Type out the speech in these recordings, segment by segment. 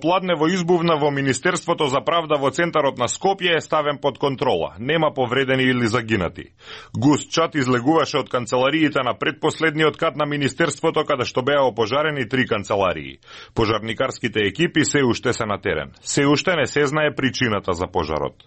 Пладнево избувна во Министерството за правда во центарот на Скопје е ставен под контрола. Нема повредени или загинати. Густ чат излегуваше од канцелариите на предпоследниот кат на Министерството, каде што беа опожарени 3 канцеларии. Пожарникарските екипи се уште се на терен. Се уште не се знае причината за пожарот.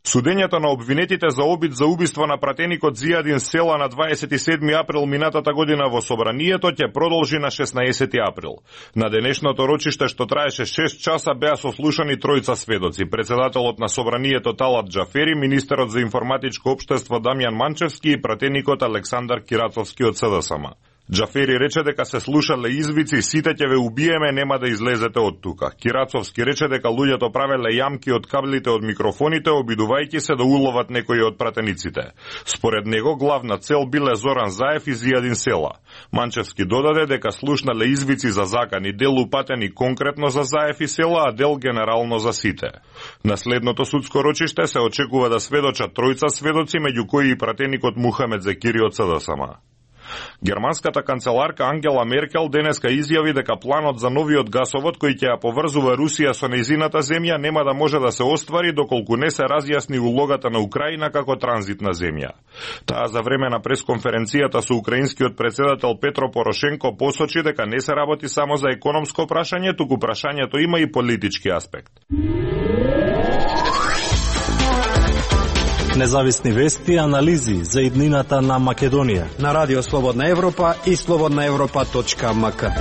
Судењето на обвинетите за обид за убиство на пратеникот Зијадин Села на 27 април минатата година во Собранието ќе продолжи на 16 април. На денешното рочиште, што траеше 6 часа, беа сослушани тројца сведоци: председателот на Собранието Талат Џафери, министерот за информатичко општество Дамјан Манчевски и пратеникот Александар Кирацовски од СДСМ. Џафери рече дека се слушале извици: сите ќе ве убиеме, нема да излезете од тука. Кирацовски рече дека луѓето правеле јамки од каблите од микрофоните, обидувајќи се да уловат некои од пратениците. Според него главна цел биле Зоран Заев и Зијадин Села. Манчевски додаде дека слушнале извици за закани, дел упатени конкретно за Заев и Села, а дел генерално за сите. На следното судско рочиште се очекува да сведочат тројца сведоци, меѓу кои и пратеникот Мухамед Зекири од СДСМ. Германската канцеларка Ангела Меркел денеска изјави дека планот за новиот гасовод кој ќе ја поврзува Русија со нејзината земја нема да може да се оствари доколку не се разјасни улогата на Украина како транзитна земја. Таа за време на пресконференцијата со украинскиот председател Петро Порошенко посочи дека не се работи само за економско прашање, туку прашањето има и политички аспект. Независни вести и анализи за иднината на Македонија на Радио Слободна Европа и slobodnaevropa.mk.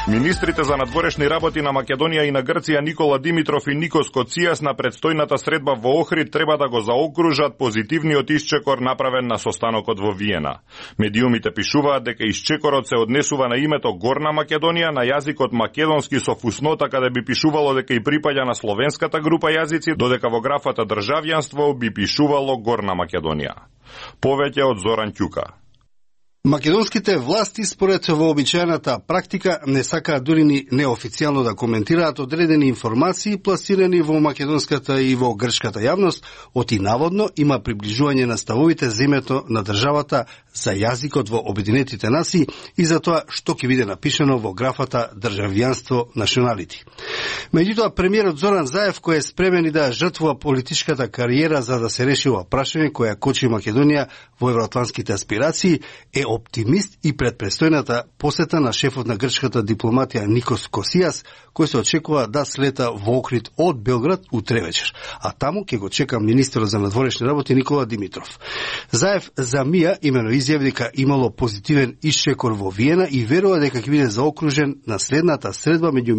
Министрите за надворешни работи на Македонија и на Грција Никола Димитров и Никос Коцијас на предстојната средба во Охрид треба да го заокружат позитивниот исчекор направен на состанокот во Виена. Медиумите пишуваат дека исчекорот се однесува на името Горна Македонија на јазикот македонски со фуснота каде би пишувало дека и припаѓа на словенската група јазици, додека во графата државјанство би пишувало Горна Македонија. Повеќе од Зоран Ќука. Македонските власти, според вообичаената практика, не сакаат дури ни неофицијално да коментираат одредени информации пласирани во македонската и во грчката јавност, оти наводно има приближување на ставовите за името на државата за јазикот во Обединетите нации и за тоа што ќе биде напишано во графата државјанство националити. Меѓутоа, премиерот Зоран Заев, кој е спремен и да жртвува политичката кариера за да се реши ова прашање која кочи Македонија во евроатлантските аспирации, е оптимист и пред престојната посета на шефот на грчката дипломатија Никос Косијас, кој се очекува да слета во Охрид од Белград утре вечер. А таму ќе го чека министерот за надворешни работи Никола Димитров. Заев за мија имено изјави дека имало позитивен исчекор во Виена и верува дека ќе биде заокружен на следната средба меѓу